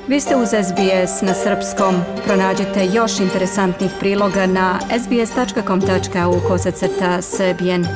Vi ste uz SBS na srpskom. Pronađite još interesantnih priloga na sbs.com.au/srbijen.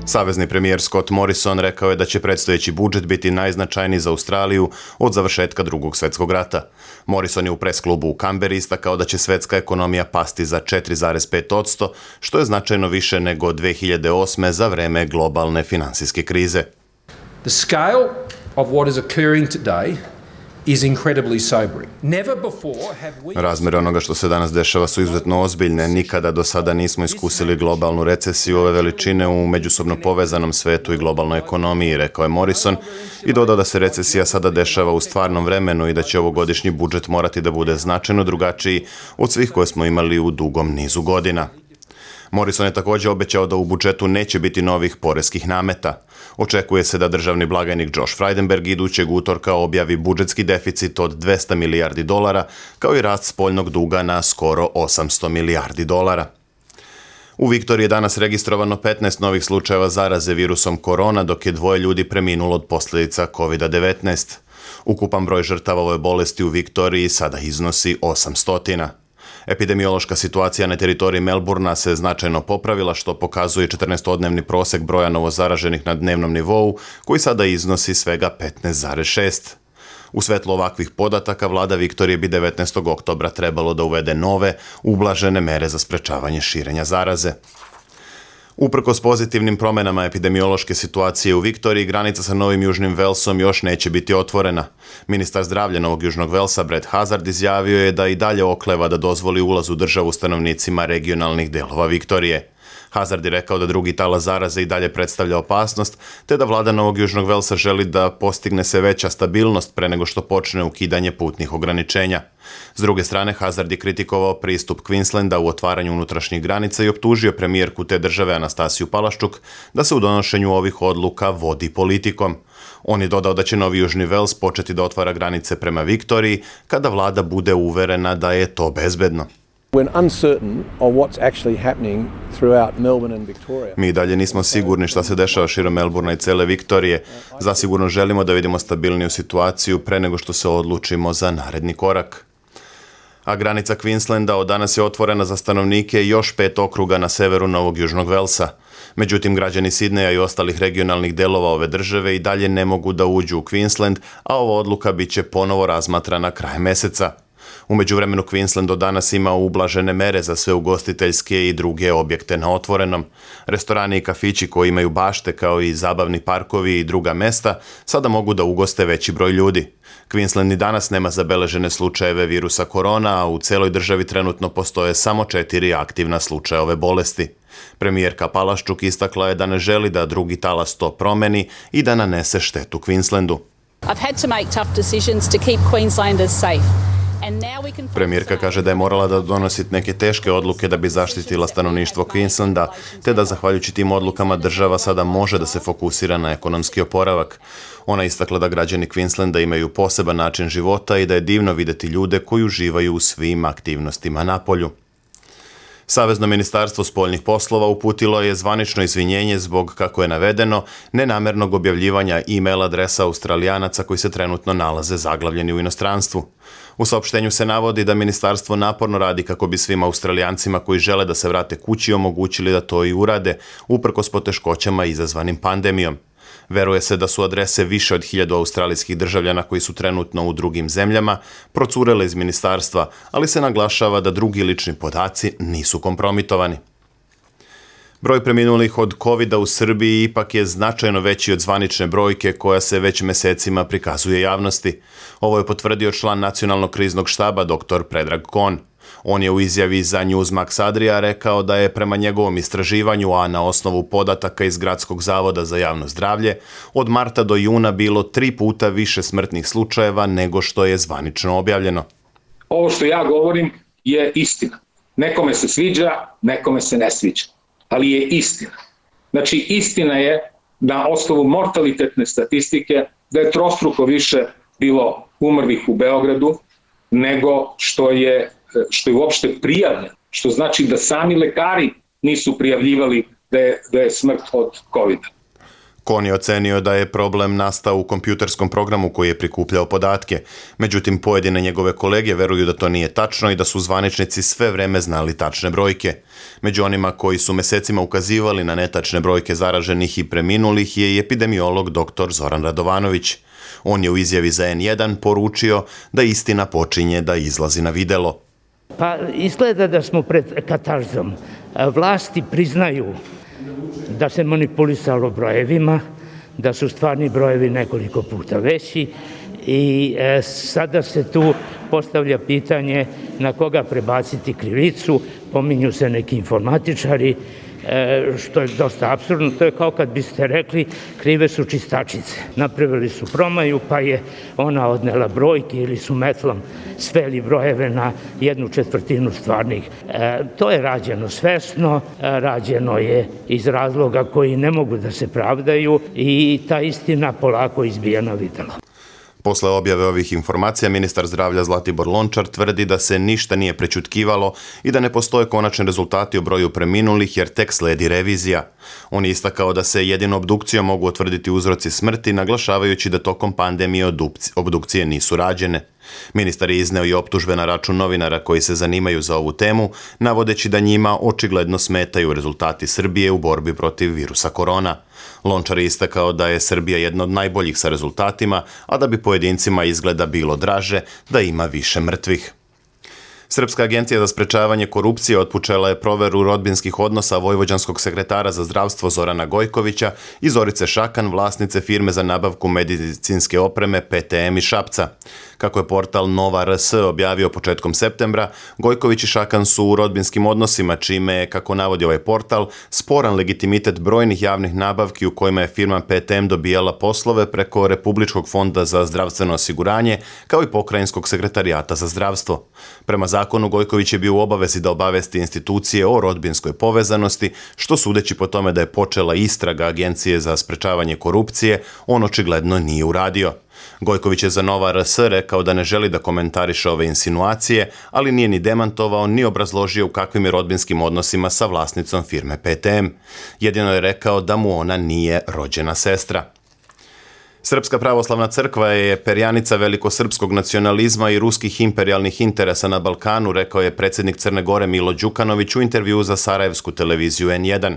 Savezni premijer Scott Morrison rekao je da će predstojeći budžet biti najznačajniji za Australiju od završetka Drugog svjetskog rata. Morrison je u pres klubu u Kamberi istakao da će svetska ekonomija pasti za 4,5%, što je značajno više nego 2008. za vreme globalne finansijske krize. The scale of what is occurring today is incredibly sobering. Never before have we... Razmjere onoga što se danas dešava su izuzetno ozbiljne. Nikada do sada nismo iskusili globalnu recesiju ove veličine u međusobno povezanom svetu i globalnoj ekonomiji, rekao je Morrison i dodao da se recesija sada dešava u stvarnom vremenu i da će ovogodišnji budžet morati da bude značajno drugačiji od svih koje smo imali u dugom nizu godina. Morrison je također obećao da u budžetu neće biti novih poreskih nameta. Očekuje se da državni blagajnik Josh Frydenberg idućeg utorka objavi budžetski deficit od $200 milijardi, kao i rast spoljnog duga na skoro $800 milijardi. U Viktoriji je danas registrovano 15 novih slučajeva zaraze virusom korona, dok je 2 ljudi preminulo od posljedica COVID-19. Ukupan broj žrtava ove bolesti u Viktoriji sada iznosi 800. Epidemiološka situacija na teritoriji Melbourna se značajno popravila, što pokazuje 14-dnevni prosek broja novozaraženih na dnevnom nivou, koji sada iznosi svega 15,6. U svetlu ovakvih podataka, vlada Viktorije bi 19. oktobra trebalo da uvede nove, ublažene mere za sprečavanje širenja zaraze. Uprkos pozitivnim promjenama epidemiološke situacije u Viktoriji, granica sa Novim Južnim Velsom još neće biti otvorena. Ministar zdravlja Novog Južnog Velsa, Brett Hazard, izjavio je da i dalje okleva da dozvoli ulaz u državu stanovnicima regionalnih delova Viktorije. Hazard je rekao da drugi talas zaraze i dalje predstavlja opasnost, te da vlada Novog Južnog Velsa želi da postigne se veća stabilnost pre nego što počne ukidanje putnih ograničenja. S druge strane, Hazard je kritikovao pristup Queenslanda u otvaranju unutrašnjih granica i optužio premijerku te države Anastasiju Palaščuk da se u donošenju ovih odluka vodi politikom. On je dodao da će Novi Južni Vels početi da otvara granice prema Viktoriji kada vlada bude uverena da je to bezbedno. Mi dalje nismo sigurni šta se dešava širom Melbourna i cele Viktorije. Zasigurno želimo da vidimo stabilniju situaciju pre nego što se odlučimo za naredni korak. A granica Queenslanda od danas je otvorena za stanovnike još 5 okruga na severu Novog Južnog Velsa. Međutim, građani Sidneja i ostalih regionalnih delova ove države i dalje ne mogu da uđu u Queensland, a ova odluka bit će ponovo razmatrana krajem meseca. U međuvremenu Queensland do danas ima ublažene mere za sve ugostiteljske i druge objekte na otvorenom. Restorani i kafići koji imaju bašte kao i zabavni parkovi i druga mesta sada mogu da ugoste veći broj ljudi. Queensland i danas nema zabeležene slučajeve virusa korona, a u celoj državi trenutno postoje samo 4 aktivna slučaja ove bolesti. Premijerka Palaščuk istakla je da ne želi da drugi talas to promeni i da nanese štetu Queenslandu. I've had to make tough decisions to keep Queenslanders safe. Premijerka kaže da je morala da donosi neke teške odluke da bi zaštitila stanovništvo Queenslanda, te da zahvaljujući tim odlukama država sada može da se fokusira na ekonomski oporavak. Ona istakla da građani Queenslanda imaju poseban način života i da je divno videti ljude koji uživaju u svim aktivnostima napolju. Savezno ministarstvo spoljnih poslova uputilo je zvanično izvinjenje zbog, kako je navedeno, nenamernog objavljivanja e-mail adresa Australijanaca koji se trenutno nalaze zaglavljeni u inostranstvu. U saopštenju se navodi da ministarstvo naporno radi kako bi svim Australijancima koji žele da se vrate kući omogućili da to i urade, uprkos poteškoćama izazvanim pandemijom. Veruje se da su adrese više od 1000 australijskih državljana koji su trenutno u drugim zemljama procurele iz ministarstva, ali se naglašava da drugi lični podaci nisu kompromitovani. Broj preminulih od COVID-a u Srbiji ipak je značajno veći od zvanične brojke koja se već mesecima prikazuje javnosti. Ovo je potvrdio član Nacionalnog kriznog štaba dr. Predrag Kon. On je u izjavi za Newsmax Adria rekao da je prema njegovom istraživanju, a na osnovu podataka iz Gradskog zavoda za javno zdravlje, od marta do juna bilo 3 puta više smrtnih slučajeva nego što je zvanično objavljeno. Ovo što ja govorim je istina. Nekome se sviđa, nekome se ne sviđa, ali je istina. Znači, istina je na osnovu mortalitetne statistike da je trostruko više bilo umrlih u Beogradu nego što je uopšte prijavljeno, što znači da sami lekari nisu prijavljivali da je smrt od COVID-a. Kon je ocenio da je problem nastao u kompjuterskom programu koji je prikupljao podatke. Međutim, pojedine njegove kolege veruju da to nije tačno i da su zvaničnici sve vreme znali tačne brojke. Među onima koji su mesecima ukazivali na netačne brojke zaraženih i preminulih je i epidemiolog dr. Zoran Radovanović. On je u izjavi za N1 poručio da istina počinje da izlazi na videlo. Pa izgleda da smo pred katarzom. Vlasti priznaju da se manipulisalo brojevima, da su stvarni brojevi nekoliko puta veći i sada se tu postavlja pitanje na koga prebaciti krivicu, pominju se neki informatičari, što je dosta apsurdno. To je kao kad biste rekli krive su čistačice. Napravili su promaju pa je ona odnela brojke ili su metlom sveli brojeve na 1/4 stvarnih. To je rađeno svesno, rađeno je iz razloga koji ne mogu da se pravdaju i ta istina polako izbija na videlo. Posle objave ovih informacija, ministar zdravlja Zlatibor Lončar tvrdi da se ništa nije prećutkivalo i da ne postoje konačni rezultati o broju preminulih jer tek sledi revizija. On je istakao da se jedino obdukcijom mogu utvrditi uzroci smrti, naglašavajući da tokom pandemije obdukcije nisu rađene. Ministar je izneo i optužbe na račun novinara koji se zanimaju za ovu temu, navodeći da njima očigledno smetaju rezultati Srbije u borbi protiv virusa korona. Lončar je istakao da je Srbija jedna od najboljih sa rezultatima, a da bi pojedincima izgleda bilo draže da ima više mrtvih. Srpska agencija za sprečavanje korupcije otpočela je proveru rodbinskih odnosa vojvođanskog sekretara za zdravstvo Zorana Gojkovića i Zorice Šakan, vlasnice firme za nabavku medicinske opreme PTM iz Šapca. Kako je portal Nova RS objavio početkom septembra, Gojković i Šakan su u rodbinskim odnosima, čime je, kako navodi ovaj portal, sporan legitimitet brojnih javnih nabavki u kojima je firma PTM dobijala poslove preko Republičkog fonda za zdravstveno osiguranje, kao i Pokrajinskog sekretarijata za zdravstvo. Prema zakonu, Gojković je bio u obavezi da obavesti institucije o rodbinskoj povezanosti, što sudeći po tome da je počela istraga Agencije za sprečavanje korupcije, on očigledno nije uradio. Gojković je za Nova RS rekao da ne želi da komentariše ove insinuacije, ali nije ni demantovao ni obrazložio u kakvim je rodbinskim odnosima sa vlasnicom firme PTM. Jedino je rekao da mu ona nije rođena sestra. Srpska pravoslavna crkva je perjanica velikosrpskog nacionalizma i ruskih imperijalnih interesa na Balkanu, rekao je predsjednik Crne Gore Milo Đukanović u intervjuu za sarajevsku televiziju N1.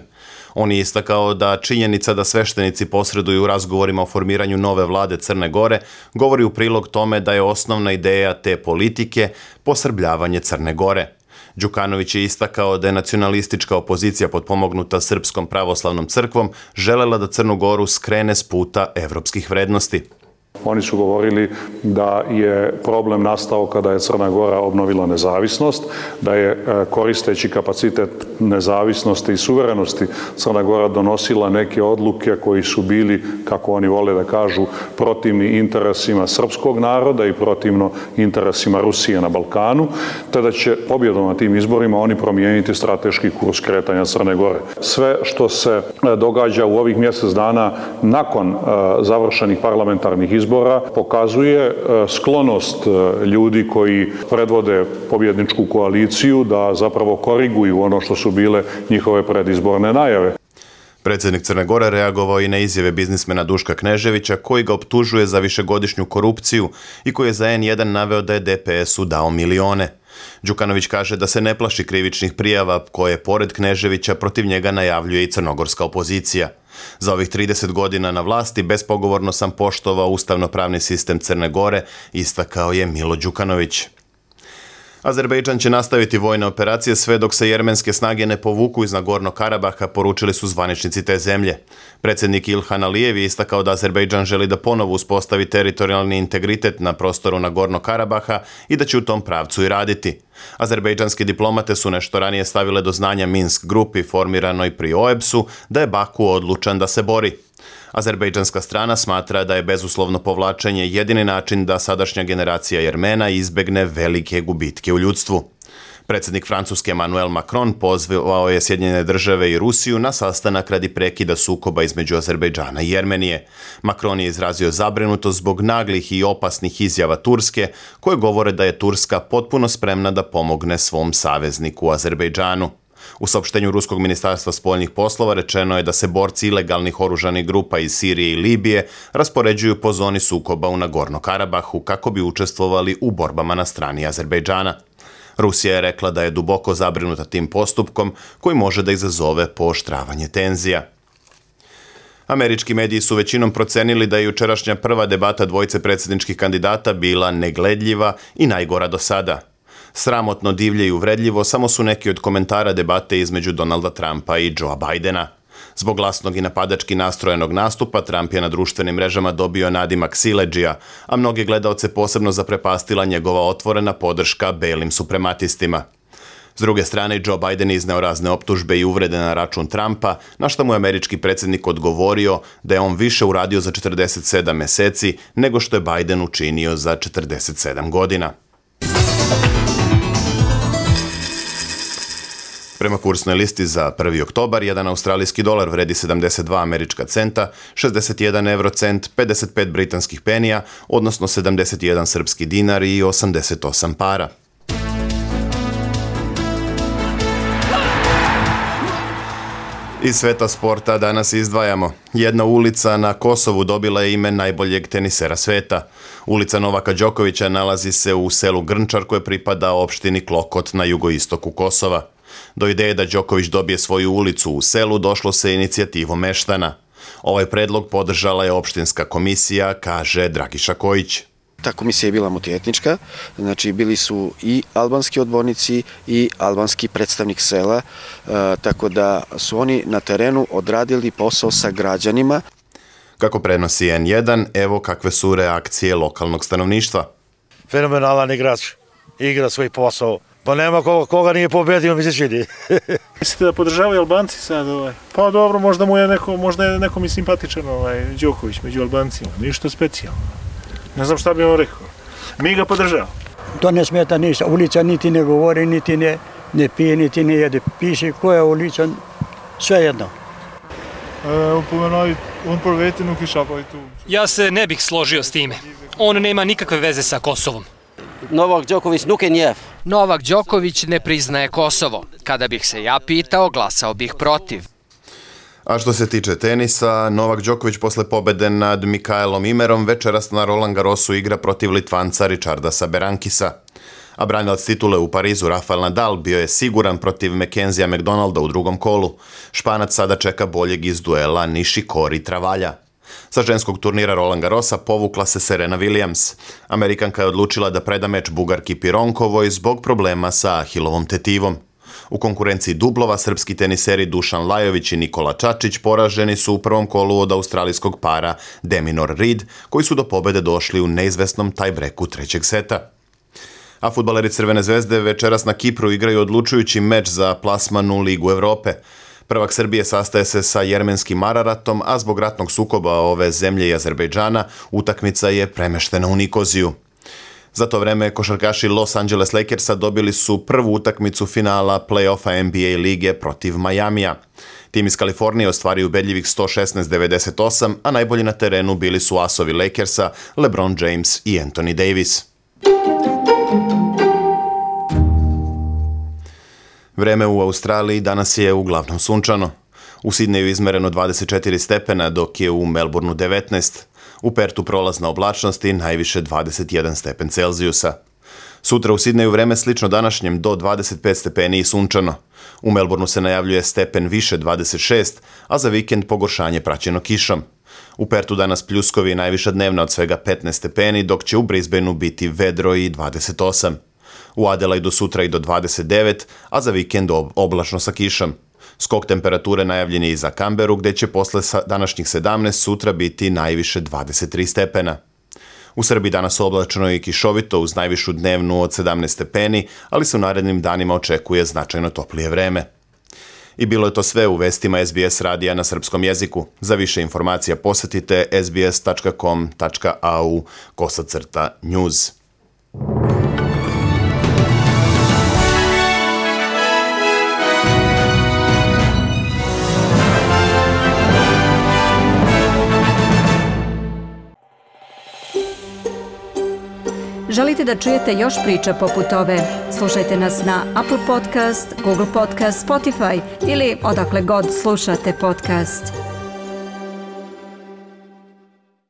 On je istakao da činjenica da sveštenici posreduju u razgovorima o formiranju nove vlade Crne Gore govori u prilog tome da je osnovna ideja te politike posrbljavanje Crne Gore. Đukanović je istakao da je nacionalistička opozicija potpomognuta Srpskom pravoslavnom crkvom želela da Crnu Goru skrene s puta evropskih vrednosti. Oni su govorili da je problem nastao kada je Crna Gora obnovila nezavisnost, da je koristeći kapacitet nezavisnosti i suverenosti Crna Gora donosila neke odluke koji su bili, kako oni vole da kažu, protivni interesima srpskog naroda i protivno interesima Rusije na Balkanu, te da će pobjedom na tim izborima oni promijeniti strateški kurs kretanja Crne Gore. Sve što se događa u ovih mjesec dana nakon završenih parlamentarnih izbora pokazuje sklonost ljudi koji predvode pobjedničku koaliciju da zapravo koriguju ono što su bile njihove predizborne najave. Predsjednik Crne Gore reagovao i na izjave biznismena Duška Kneževića koji ga optužuje za višegodišnju korupciju i koji je za N1 naveo da je DPS-u dao milione. Đukanović kaže da se ne plaši krivičnih prijava koje, pored Kneževića, protiv njega najavljuje i crnogorska opozicija. Za ovih 30 godina na vlasti bespogovorno sam poštovao ustavno-pravni sistem Crne Gore, istakao je Milo Đukanović. Azerbejdžan će nastaviti vojne operacije sve dok se jermenske snage ne povuku iz Nagornog Karabaha, poručili su zvaničnici te zemlje. Predsjednik Ilhan Alijev je istakao da Azerbejdžan želi da ponovo uspostavi teritorijalni integritet na prostoru Nagornog Karabaha i da će u tom pravcu i raditi. Azerbejdžanski diplomate su nešto ranije stavile do znanja Minsk grupi formiranoj pri OEBS-u da je Baku odlučan da se bori. Azerbejdžanska strana smatra da je bezuslovno povlačenje jedini način da sadašnja generacija Jermena izbegne velike gubitke u ljudstvu. Predsjednik Francuske Emmanuel Macron pozvao je Sjedinjene države i Rusiju na sastanak radi prekida sukoba između Azerbejdžana i Jermenije. Macron je izrazio zabrinutost zbog naglih i opasnih izjava Turske, koje govore da je Turska potpuno spremna da pomogne svom savezniku Azerbejdžanu. U saopštenju Ruskog ministarstva spoljnih poslova rečeno je da se borci ilegalnih oružanih grupa iz Sirije i Libije raspoređuju po zoni sukoba u Nagorno-Karabahu kako bi učestvovali u borbama na strani Azerbejdžana. Rusija je rekla da je duboko zabrinuta tim postupkom koji može da izazove pooštravanje tenzija. Američki mediji su većinom procenili da je jučerašnja prva debata dvojice predsjedničkih kandidata bila negledljiva i najgora do sada. Sramotno, divlje i uvredljivo samo su neki od komentara debate između Donalda Trumpa i Joea Bidena. Zbog glasnog i napadački nastrojenog nastupa, Trump je na društvenim mrežama dobio nadimak siledžija, a mnoge gledaoce posebno zaprepastila njegova otvorena podrška belim suprematistima. S druge strane, Joe Biden izneo razne optužbe i uvrede na račun Trumpa, na što mu je američki predsjednik odgovorio da je on više uradio za 47 meseci nego što je Biden učinio za 47 godina. Prema kursnoj listi za 1. oktobar, jedan australijski dolar vredi 72 američka centa, 61 eurocent, 55 britanskih penija, odnosno 71 srpski dinar i 88 para. Iz sveta sporta danas izdvajamo. Jedna ulica na Kosovu dobila je ime najboljeg tenisera sveta. Ulica Novaka Đokovića nalazi se u selu Grnčar koje pripada opštini Klokot na jugoistoku Kosova. Do ideje da Đoković dobije svoju ulicu u selu došlo se inicijativom meštana. Ovaj predlog podržala je opštinska komisija, kaže Dragiša Kojić. Ta komisija je bila multietnička, znači bili su i albanski odbornici i albanski predstavnik sela, tako da su oni na terenu odradili posao sa građanima. Kako prenosi N1, evo kakve su reakcije lokalnog stanovništva. Fenomenalan igrač, igra svoj posao. Pa nema koga nije pobedio, mi se čini. Mislite da podržavaju Albanci sad? Pa dobro, možda je nekom i simpatičan Đoković među Albancima, ništa specijalno. Ne znam šta bi vam rekao. Mi ga podržavamo. To ne smeta ništa. Ulica niti ne govori, niti ne pije, niti ne jede. Piše koja ulica, sve jedno. Ja se ne bih složio s time. On nema nikakve veze sa Kosovom. Novak Đoković nuke njev. Novak Đoković ne priznaje Kosovo. Kada bih se ja pitao, glasao bih protiv. A što se tiče tenisa, Novak Đoković posle pobede nad Mikaelom Imerom večeras na Roland Garrosu igra protiv Litvanca Richardasa Berankisa. A branilac titule u Parizu Rafael Nadal bio je siguran protiv Mackenzia McDonalda u drugom kolu. Španac sada čeka boljeg iz duela Nishikori Travalja. Sa ženskog turnira Roland Garrosa povukla se Serena Williams. Amerikanka je odlučila da preda meč Bugarki Pironkovoj zbog problema sa ahilovom tetivom. U konkurenciji dublova srpski teniseri Dušan Lajović i Nikola Čačić poraženi su u prvom kolu od australijskog para Deminor Reed, koji su do pobede došli u neizvesnom tajbreku trećeg seta. A fudbaleri Crvene zvezde večeras na Kipru igraju odlučujući meč za plasman u Ligu Evrope. Prvak Srbije sastaje se sa jermenskim Araratom, a zbog ratnog sukoba ove zemlje i Azerbejdžana utakmica je premeštena u Nikoziju. Za to vreme košarkaši Los Angeles Lakersa dobili su prvu utakmicu finala play-offa NBA lige protiv Majamija. Tim iz Kalifornije ostvario ubedljivih 116-98, a najbolji na terenu bili su asovi Lakersa, LeBron James i Anthony Davis. Vreme u Australiji danas je uglavnom sunčano. U Sidneju izmereno 24 stepena, dok je u Melbourneu 19. U Pertu prolazna oblačnost i najviše 21 stepen Celzijusa. Sutra u Sidneju vreme slično današnjem do 25 stepeni i sunčano. U Melbourneu se najavljuje stepen više 26, a za vikend pogoršanje praćeno kišom. U Pertu danas pljuskovi najviša dnevna od svega 15 stepeni, dok će u Brisbaneu biti vedro i 28. U Adelaidu sutra i do 29, a za vikend oblačno sa kišom. Skok temperature najavljen je i za Kamberu, gde će posle današnjih 17 sutra biti najviše 23 stepena. U Srbiji danas oblačno i kišovito uz najvišu dnevnu od 17 stepeni, ali se u narednim danima očekuje značajno toplije vreme. I bilo je to sve u vestima SBS radija na srpskom jeziku. Za više informacija posetite sbs.com.au/news. Želite da čujete još priča poput ove? Slušajte nas na Apple Podcast, Google Podcast, Spotify ili odakle god slušate podcast.